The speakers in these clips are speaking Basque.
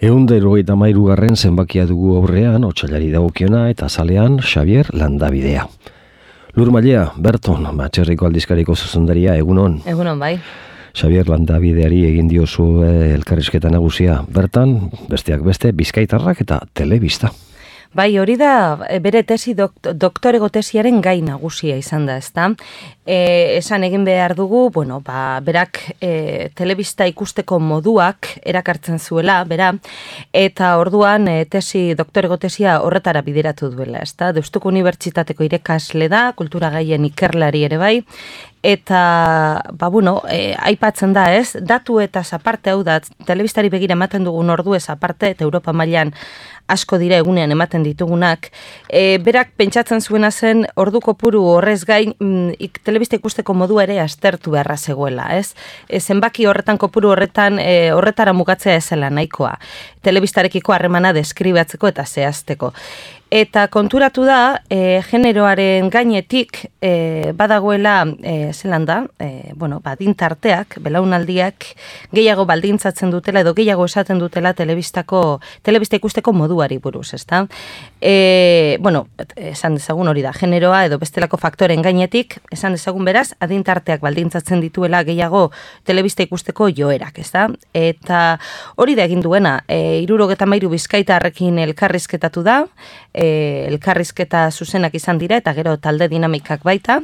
153. zenbakia dugu aurrean, otsailari dagokiona eta azalean Xabier Landabidea. Lur Mailea, Berton, Matxerriko aldizkariko zuzendaria, egunon. Egunon, bai. Xabier Landabideari egin diozu elkarrizketa nagusia. Bertan, besteak beste, Bizkaitarrak eta telebista. Bai, hori da bere tesi doktorego tesiaren gai nagusia izan da, ezta? Esan egin behar dugu, berak telebista ikusteko moduak erakartzen zuela, bera, eta orduan doktorego tesia horretara bideratu duela, ezta? Deustuko Unibertsitateko irakasle da, kultura gaien ikerlari ere bai, eta, aipatzen da, ez? Datu eta aparte, hau da, telebistari begira ematen dugun ordu ez aparte, eta Europa mailan asko dira egunean ematen ditugunak, berak pentsatzen zuena zen ordu kopuru horrez gain telebista ikusteko modu ere aztertu beharra zegoela, ez? Zenbaki horretan kopuru horretara mugatzea ezela nahikoa, telebistarekiko harremana deskribatzeko eta zehazteko. Eta konturatu da, generoaren gainetik badagoela, zelan da, adintarteak, belaunaldiak gehiago baldintzatzen dutela edo gehiago esaten dutela telebista ikusteko moduari buruz, ezta? Esan dezagun hori da, generoa edo bestelako faktoren gainetik, esan dezagun beraz, adintarteak baldintzatzen dituela gehiago telebista ikusteko joerak, ezta? Eta hori da egin duena, 73 bizkaitarrekin elkarrizketatu da, elkarrizketa zuzenak izan dira eta gero talde dinamikak baita,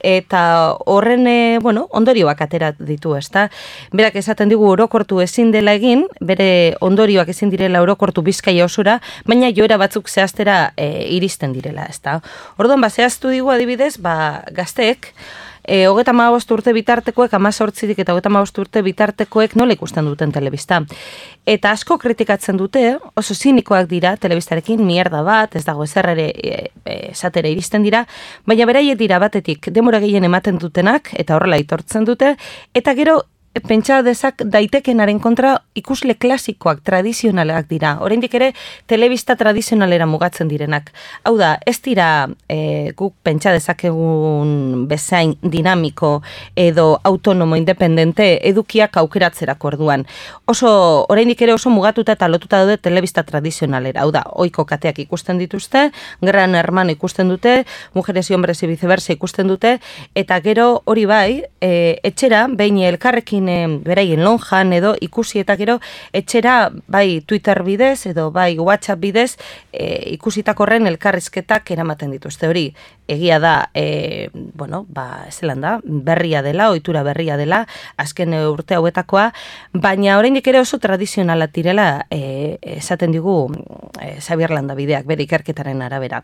eta horren ondorioak atera ditu, ezta? Berak esaten digu orokortu ezin dela egin, bere ondorioak ezin direla orokortu Bizkaia osora, baina joera batzuk zehaztera iristen direla, ezta? Orduan, zehaztu digu adibidez, gazteek, 35 urte bitartekoek, 18 eta 35 urte bitartekoek nola ikusten duten telebista. Eta asko kritikatzen dute, oso zinikoak dira telebistarekin, mierda bat, ez dago ezer ere esatera iristen dira, baina beraiek dira batetik denbora gehien ematen dutenak, eta horrela aitortzen dute, eta gero pentsa daitekenaren kontra ikusle klasikoak, tradizionalak dira. Oraindik ere telebista tradizionalera mugatzen direnak. Hau da, ez dira guk pentsa dezakegun bezain dinamiko edo autonomo independente edukiak aukeratzerako orduan. Oraindik ere oso mugatuta eta lotuta daude telebista tradizionalera. Hau da, ohiko kateak ikusten dituzte, Gran Hermano ikusten dute, Mujeres y Hombres y Viceversa ikusten dute, eta gero hori bai, etxera, behin elkarrekin beraien lonjan edo ikusi eta gero etxera bai Twitter bidez edo bai WhatsApp bidez ikusitakorren elkarrizketak eramaten dituzte. Hori egia da, zelan da, berria dela, ohitura berria dela, azken urte hauetakoa, baina oraindik ere oso tradizionalak direla esaten digu Xabier Landabideak bere ikerketaren arabera.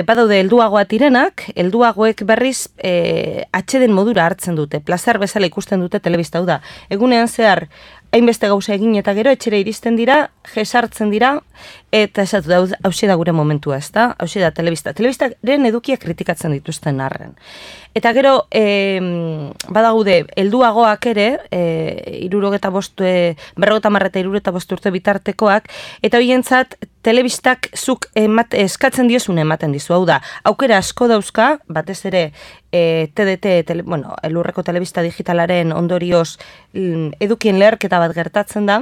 Badaude helduagoak direnak, helduagoek berriz atxeden modura hartzen dute, plazer bezala ikusten dute telebista, hau da. Egunean zehar hainbeste gauza egin eta gero etxera iristen dira, jesartzen dira, eta esatu da, hauxe da gure momentua, ez da? Hauxe da telebista. Telebistaren edukiak kritikatzen dituzten arren. Eta gero, badaude, helduagoak ere, 75 urte bitartekoak, eta horientzat telebistak zuk eskatzen diozun ematen dizu. Hau da, aukera asko dauzka, batez ere TDT, elurreko telebista digitalaren ondorioz edukien leherketa bat gertatzen da,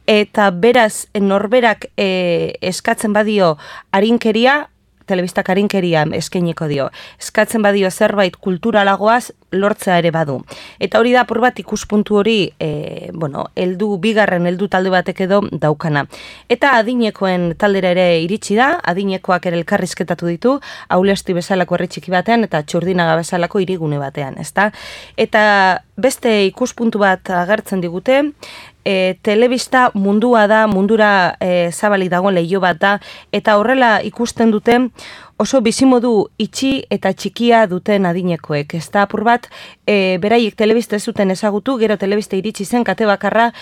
eta beraz norberak eskatzen badio arinkeria, telebistak arinkeria eskainiko dio. Eskatzen badio zerbait kulturalagoaz lortzea ere badu. Eta hori da apur bat ikuspuntu hori, bigarren talde batek edo daukana. Eta adinekoen taldera ere iritsi da, adinekoak ere elkarrizketatu ditu, Aulesti bezalako herri txiki batean eta Txurdinaga bezalako hirigune batean, ezta? Eta beste ikuspuntu bat agertzen digute, telebista mundua da, mundura zabalik dagoen leiho bat da, eta horrela ikusten dute oso bizimodu itxi eta txikia duten adinekoek. Ez da apur bat, beraiek telebista ez zuten ezagutu, gero telebista iritsi zen, kate bakarra,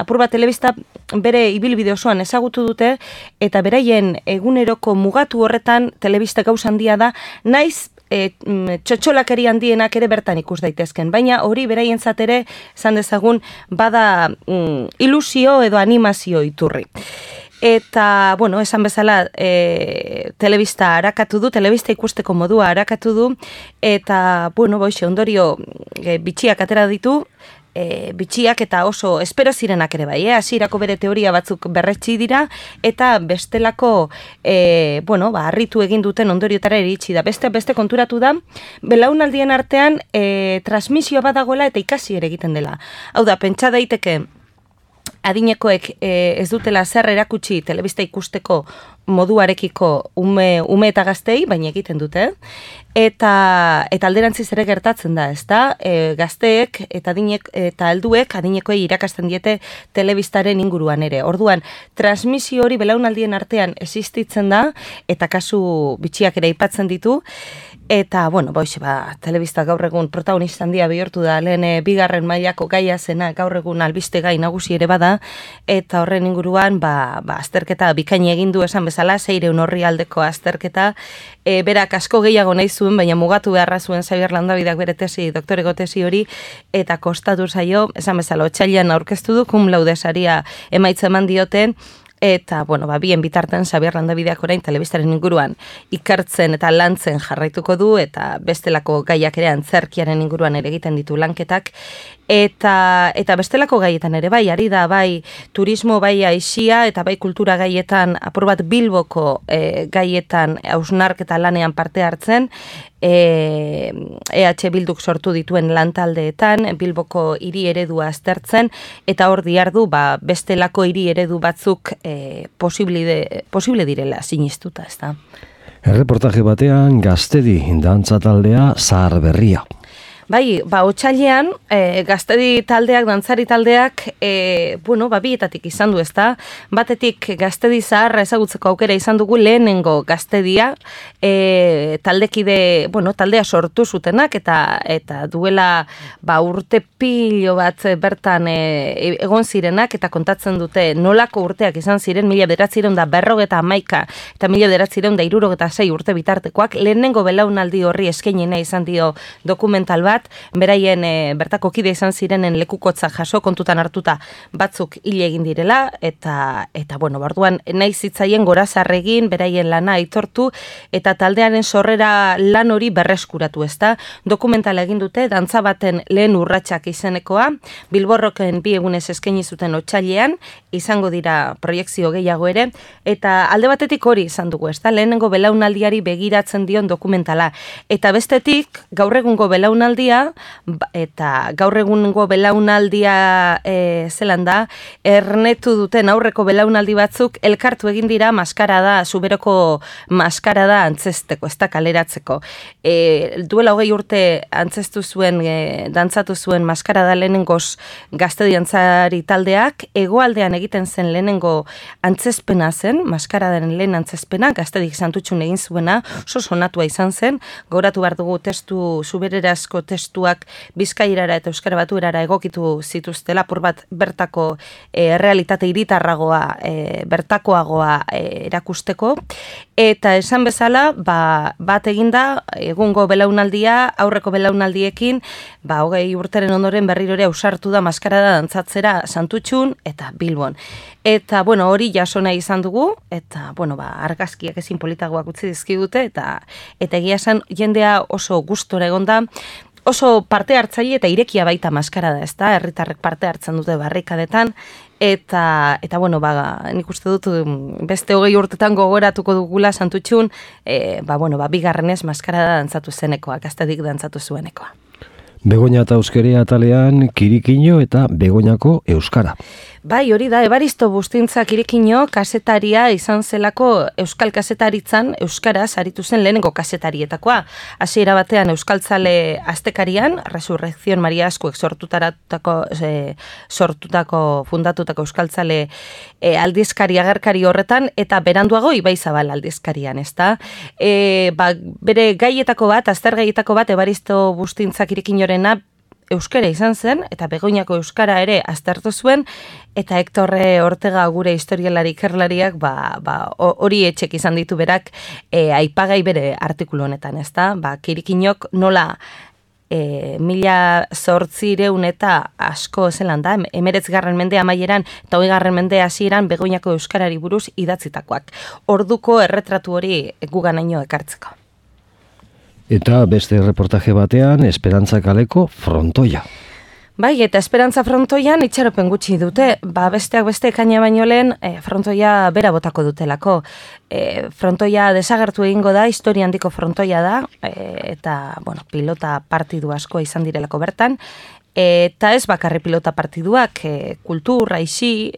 apur bat telebista bere ibilbide osoan ezagutu dute, eta beraien eguneroko mugatu horretan telebista gauza handia da, naiz txotxolakeri handienak ere bertan ikus daitezken. Baina hori beraientzat ere, esan dezagun, bada ilusio edo animazio iturri. Eta, esan bezala, telebista harakatu du, telebista ikusteko modua harakatu du, eta, ondorio bitxiak atera ditu, bitxiak eta oso espero zirenak ere bai, hasierako bere teoria batzuk berretsi dira, eta bestelako, harritu egin duten ondoriotara iritsi da. Beste konturatu da, belaunaldien artean transmisioa badagoela eta ikasi ere egiten dela. Hau da, pentsa daiteke, adinekoek ez dutela zer erakutsi telebista ikusteko moduarekiko ume eta gaztei, baina egiten dute. Eta alderantziz ere gertatzen da, ezta? Gazteek eta helduek adinekoei irakasten diete telebistaren inguruan ere. Orduan, transmisio hori belaunaldien artean existitzen da, eta kasu bitxiak ere aipatzen ditu. Eta, telebista gaur egun protagonista handia bihurtu da, lehen bigarren mailako gaia zena gaur egun albiste gai nagusi ere bada, eta horren inguruan, azterketa bikaini egin du esan bezala, 600 orrialdeko azterketa, berak asko gehiago nahi zuen, baina mugatu beharra zuen Xabier Landabideak bere doktoreko tesi hori, eta kostatu zaio, esan bezala, otsailean aurkeztu du, cum laude saria emaitza eman dioten, eta, bien bitarten Xabier Landabideak orain telebistaren inguruan ikertzen eta lantzen jarraituko du, eta bestelako gaiak ere antzerkiaren inguruan ere egiten ditu lanketak, eta bestelako gaietan ere bai, ari da bai turismo, bai aisia, eta bai kultura gaietan, apur bat Bilboko gaietan hausnarketa lanean parte hartzen, EH Bilduk sortu dituen lantaldeetan, Bilboko hiri eredua aztertzen, eta hor diardu bestelako hiri eredu batzuk posible direla sinistuta, ezta. Erreportaje batean Gaztedi dantza taldea zahar berria. Bai, otsailean, Gaztedi taldeak, dantzari taldeak, bietatik izan du, ezta? Batetik Gaztedi zaharra ezagutzeko aukera izan dugu lehenengo Gaztedia, taldea sortu zutenak, eta duela urte pilo bat bertan egon zirenak, eta kontatzen dute nolako urteak izan ziren, 1951 eta 1966 urte bitartekoak, lehenengo belaunaldi horri eskainena izan dio dokumental bat, beraien bertako kide izan zirenen lekukotza jaso kontutan hartuta batzuk hile egin direla, eta orduan nahi zitzaien gorazarregin, beraien lana aitortu, eta taldearen sorrera lan hori berreskuratu, ezta? Dokumentala egin dute, dantza baten lehen urratsak izenekoa, Bilborroken 2 egunez eskaini zuten otsailean, izango dira proiekzio gehiago ere, eta alde batetik hori izan dugu, ezta? Lehenengo belaunaldiari begiratzen dion dokumentala, eta bestetik gaur egungo belaunaldia, eta gaur egungo belaunaldia zelan da, ernetu duten aurreko belaunaldi batzuk elkartu egin dira maskarada, zuberoko maskarada antzesteko, ez da kaleratzeko. Duela 20 urte antzestu zuen, dantzatu zuen maskarada lehenengoz Gaztedi dantzari taldeak, hegoaldean egiten zen lehenengo antzespena zen, maskaradaren lehen antzespena, Gaztedik Santutxun egin zuena, oso sonatua izan zen, gauratu behar dugu zubererazko testuak bizkairara eta euskara baturara egokitu zituztela, apur bat bertako realitate hiritarragoa, bertakoagoa erakusteko, eta esan bezala, bat eginda, egungo belaunaldia, aurreko belaunaldiekin, 20 urteren ondoren berrirore ausartu da maskarada dantzatzera Santutxun eta Bilbon. Eta, hori jasona izan dugu, eta, argazkiak ezin politagoak utzi dizkigute, eta egia esan jendea oso gustora egonda, oso parte hartzaile eta irekia baita maskarada, ezta? Herritarrek parte hartzen dute barrikadetan, eta nik uste dut beste 20 urtetan gogoratuko dugula Santutxun, bigarrenez maskarada dantzatu zenekoa, Gaztedik dantzatu zuenekoa. Begoña eta euskeria atalean Kirikino eta Begoñako euskara. Bai, hori da, Ebaristo Bustintza Kirikino kasetaria izan zelako euskal kasetaritzan euskaraz aritu zen lehenengo kasetarietakoa. Hasiera batean euskaltzale astekarian, Resurrección Maria Askuek fundatutako euskaltzale aldizkari agerkari horretan, eta beranduago Ibaizabal aldizkarian, ezta? Bere gaietako bat, azter gaietako bat, Ebaristo Bustintza Kirikinorena euskara izan zen, eta Begoñako euskara ere aztertu zuen, eta Hector Ortega gure historialari ikerlariak hori etxek izan ditu berak aipagai bere artikulu honetan, ezta? Kirikinok nola 1800 eta asko zelan da, 19. mende amaieran eta 20. mende hasieran Begoñako euskarari buruz idatzitakoak. Orduko erretratu hori guganaino ekartzeko. Eta beste reportaje batean, Esperantza kaleko frontoia. Bai, eta Esperantza frontoian itxaropen gutxi dute, besteak beste ekaina baino lehen frontoia bera botako dutelako. Frontoia desagertu egingo da, historia handiko frontoia da, eta pilota partidu asko izan direlako bertan, eta ez bakarri pilota partiduak, kultur, aisi,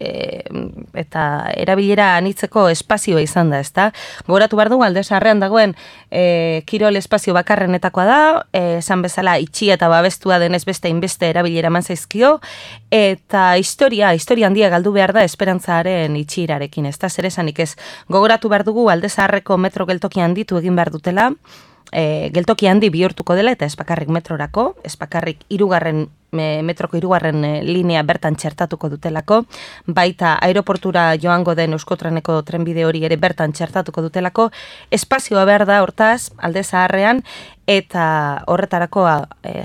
eta erabilera anitzeko espazioa izan da, ezta? Gogoratu behar dugu, Alde Zaharrean dagoen kirol espazio bakarrenetakoa da, esan bezala itxia eta babestua denez beste inbeste erabilera eman zaizkio, eta historia handia galdu behar da Esperantzaren itxierarekin, ezta? Zer esanik ez, gogoratu behar dugu Alde Zaharreko metro geltoki handitu egin behar dutela, geltoki handi bihurtuko dela eta ez bakarrik metrorako, ez bakarrik metroko 3. Linea bertan txertatuko dutelako, baita aeroportura joango den Euskotreneko trenbide hori ere bertan txertatuko dutelako, espazioa behar da hortaz Alde Zaharrean, eta horretarako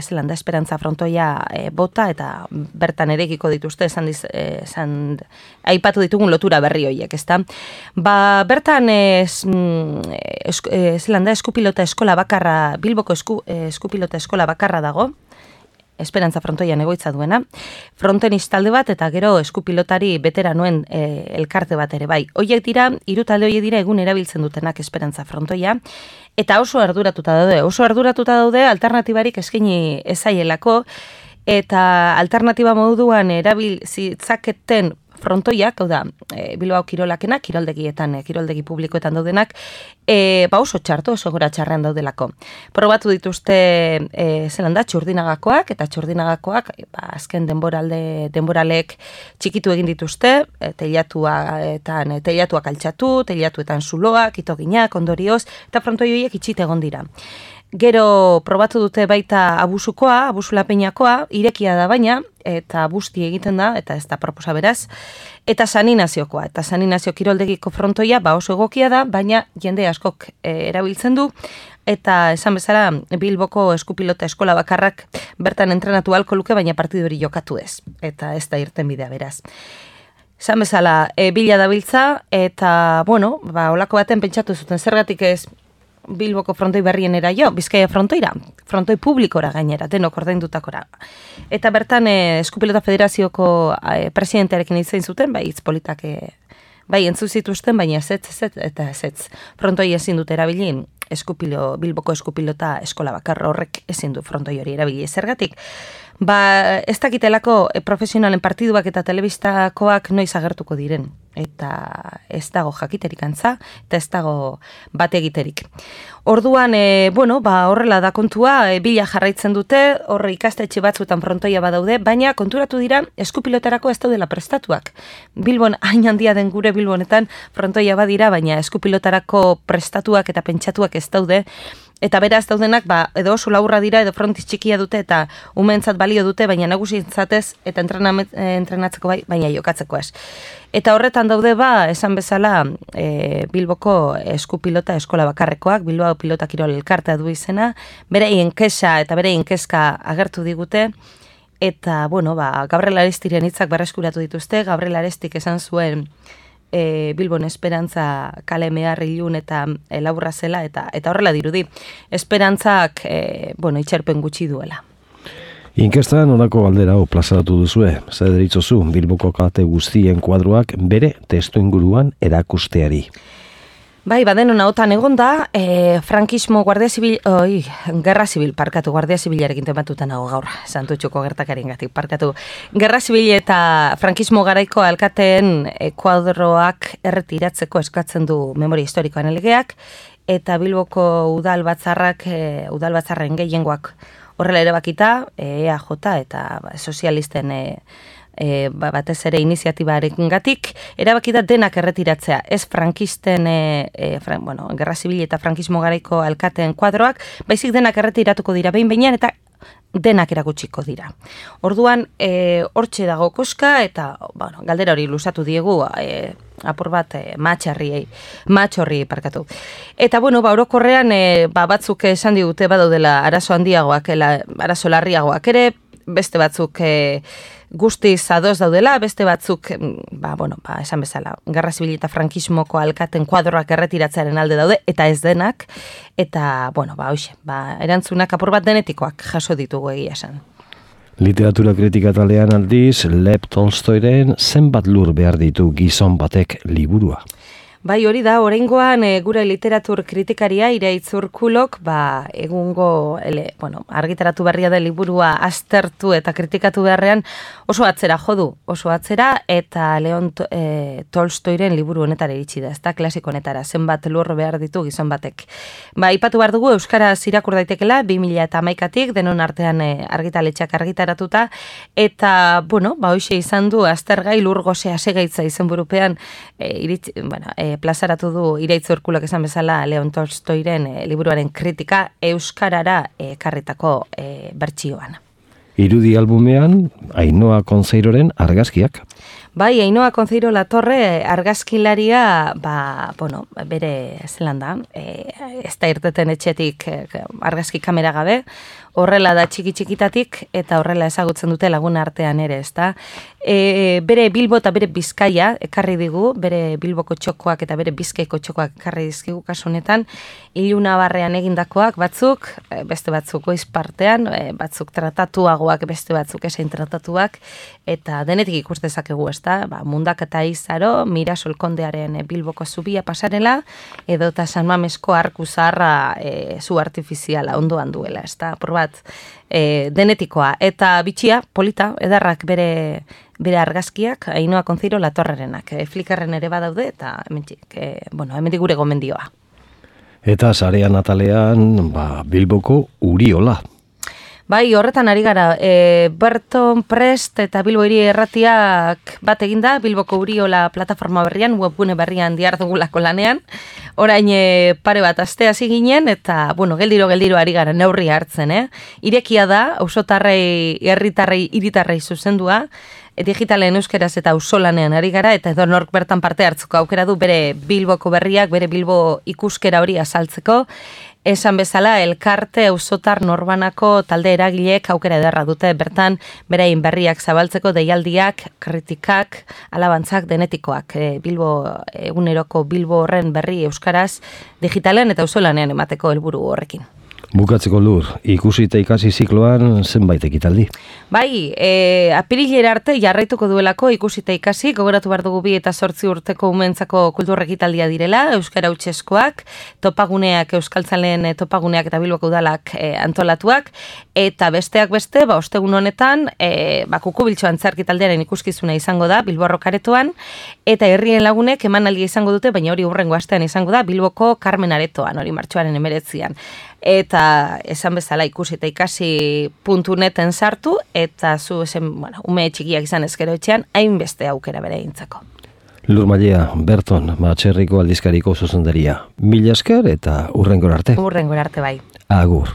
zelan da Esperantza frontoia bota eta bertan erekiko dituzte aipatu ditugun lotura berri horiek, ezta? Bertan zelan da eskupilota eskola bakarra, Bilboko eskupilota eskola bakarra dago, Esperantza frontoian egoitza duena, frontenis talde bat eta gero eskupilotari beteranoen elkarte bat ere bai. Hoiek dira, 3 talde horiek dira egun erabiltzen dutenak Esperantza frontoia, eta oso arduratuta daude, alternatibarik eskaini ezaielako, eta alternatiba moduan erabiltzaketen frontoiak, hau da, Bilbao kirolakena, kiroldegi publikoetan daudenak, oso txarto, oso gora txarrean daudelako. Probatu dituzte zelan da, txurdinagakoak, eta txurdinagakoak, azken denboralek txikitu egin dituzte, teilatuak altxatu, teilatuetan zuloak, itoginak, ondorioz, eta frontoi horiek itxite egon dira. Gero probatu dute baita abusulapeinakoa, irekia da baina, eta busti egiten da, eta ez da proposa beraz, eta San Inazioko kiroldegiko frontoia oso egokia da, baina jende askok erabiltzen du, eta esan bezala Bilboko eskupilota eskola bakarrak bertan entrenatu ahalko luke, baina partidu hori jokatu ez, eta ez da irten bidea beraz. Esan bezala, bila dabiltza, eta, olako baten pentsatu zuten zergatik ez Bilboko frontoi berrienera Bizkaia frontoi publikora gainera, denok ordaindutakora. Eta bertan Eskupilota Federazioko presidentearekin izan zuten, hitz politak entzu zituzten, baina ez. Frontoi ezin dut erabilin, Bilboko Eskupilota eskola bakarra horrek ezin du frontoi hori erabili. Zergatik, ez dakitelako profesionalen partiduak eta telebistakoak noiz agertuko diren. Eta ez dago jakiterik antza, eta ez dago bat egiterik. Orduan, horrela da kontua, bila jarraitzen dute, horre ikastetxe batzuetan frontoia badaude, baina konturatu dira eskupilotarako ez daudela prestatuak. Bilbon, hain handia den gure Bilbonetan frontoia badira, baina eskupilotarako prestatuak eta pentsatuak ez daude, eta beraz daudenak, edo oso laburra dira, edo frontiz txikia dute, eta umentzat balio dute, baina nagusintzatez, eta entrenatzeko baina jokatzeko ez. Eta horretan daude esan bezala, Bilboko eskupilota eskola bakarrekoak, Bilbao pilota kirol elkartea du izena, bereien kesa eta bereien kezka agertu digute, eta, Gabriel Arestiren hitzak berreskuratu dituzte, Gabriel Arestik esan zuen, Bilbon Esperantza kale mehar ilun eta laburra zela, eta horrela dirudi. Esperantzak, itxerpen gutxi duela. Inkestan honako galdera plazaratu duzue, zer deritzozu Bilboko kate guztien kuadroak bere testu inguruan erakusteari. Badenon ahotan egon da, frankismo Guardia Zibilarekin tematutan nago gaur, Santutxuko gertakaren gatik, parkatu. Gerra Zibil eta frankismo garaiko alkateen kuadroak erretiratzeko eskatzen du memoria historikoan legeak, eta Bilboko udalbatzarren gehiengoak horrela ere bakita, EAJ eta sozialisten batez ere iniziatibarekin gatik, erabakita denak erretiratzea, ez frankisten, Gerra Zibil eta frankismo garaiko alkateen kuadroak, baizik denak erretiratuko dira behin-behinean eta denak erakutsiko dira. Orduan, hortxe dago koska, eta galdera hori luzatu diegu, apur bat matxorri parkatu. Eta, orokorrean, batzuk esan digute badaudela arazo handiagoak, arazo larriagoak ere, beste batzuk guztiz ados daudela, beste batzuk, esan bezala, Gerra Zibil eta frankismoko alkaten kuadroak erretiratzearen alde daude, eta ez denak, eta, erantzunak apur bat denetikoak jaso ditugu egia esan. Literatura kritika talean aldiz, Lev Tolstoiren zenbat lur behar ditu gizon batek liburua. Bai, hori da, oraingoan gure literatur kritikaria Iraitz Urkulok, egungo argitaratu berria da liburua aztertu eta kritikatu beharrean oso atzera jodu, oso atzera, eta Leon Tolstoiren liburu honetara iritsi da, ez da klasiko honetara, zenbat lur behar ditu gizon batek. Ipatu behar dugu euskaraz irakur daitekela 2011tik denon artean argitaletxeak argitaratuta, eta, hoxe izan du aztergai lur gozea segaitza izenburupean plazaratu du Iraitz Urkulok esan bezala Leon Tolstoiren liburuaren kritika euskarara ekarritako bertsioan. Irudi albumean, Ainhoa Konzeiroren argazkiak. Bai, Ainhoa Konzeiro Latorre argazkilaria, bere zelan da, ez da irteten etxetik argazki kamera gabe, horrela da txiki-txikitatik eta horrela ezagutzen dute lagun artean ere, ez da. Bere Bilbo eta bere Bizkaia ekarri digu, bere Bilboko txokoak eta bere Bizkaiko txokoak ekarri dizkigu kasu honetan, Iluna barrean egindakoak batzuk, beste batzuk goiz partean, batzuk tratatuagoak, beste batzuk esain tratatuak, eta denetik ikus dezakegu, ez da, Mundak eta Izaro, Mirasol Kondearen Bilboko zubia pasarela, edo eta San Mamesko arku zaharra zu artifiziala ondoan duela, ez da, denetikoa, eta bitxia, polita, edarrak bere argazkiak, Ainhoa Konzeiro Latorrerenak, Flickarren ere badaude, eta hemendik gure gomendioa. Eta sarean atalean, Bilboko Uriola. Bai, horretan ari gara, Berton Prest eta Bilbo Hiri Erratiak bat eginda, Bilboko Uriola plataforma berrian, webgune berrian dihardugulako lanean, orain pare bat aste hasi ginen, eta, geldiro ari gara neurria hartzen, Irekia da, auzotarrei, herritarrei, hiritarrei zuzendua, digitalen euskeraz eta auzolanean ari gara, eta edonork bertan parte hartzeko aukera du bere Bilboko berriak, bere Bilbo ikuskera hori azaltzeko. Esan bezala, elkarte auzotar norbanako talde eragileek aukera ederra dute bertan berain berriak zabaltzeko deialdiak, kritikak, alabantzak, denetikoak. Eguneroko Bilbo horren berri euskaraz digitalen eta auzolanean emateko helburu horrekin. Bukatzeko lur, ikusi eta ikasi zikloan zenbait ekitaldi. Bai, apirilera arte jarraituko duelako ikusi eta ikasi, gogoratu behar dugu 2 eta 8 urteko umentzako kultur ekitaldia direla, euskara hutseskoak, topaguneak, euskaltzaleen topaguneak eta Bilboko udalak antolatuak, eta besteak beste, ostegun honetan, kukubiltxo antzerki taldearen ikuskizuna izango da, Bilbo Arrokaretoan, eta herrien lagunek emanaldia izango dute, baina hori hurrengo astean izango da, Bilboko Carmen Aretoan, hori martxoaren 19an. Eta esan bezala ikusi eta ikasi.neten sartu, eta zu ume txikiak izan ezkero etxean, hainbeste aukera bere egintzako. Lur Mailea, Berton, Txerriko aldizkariko zuzendaria. Mila esker eta hurrengora arte. Hurrengora arte bai. Agur.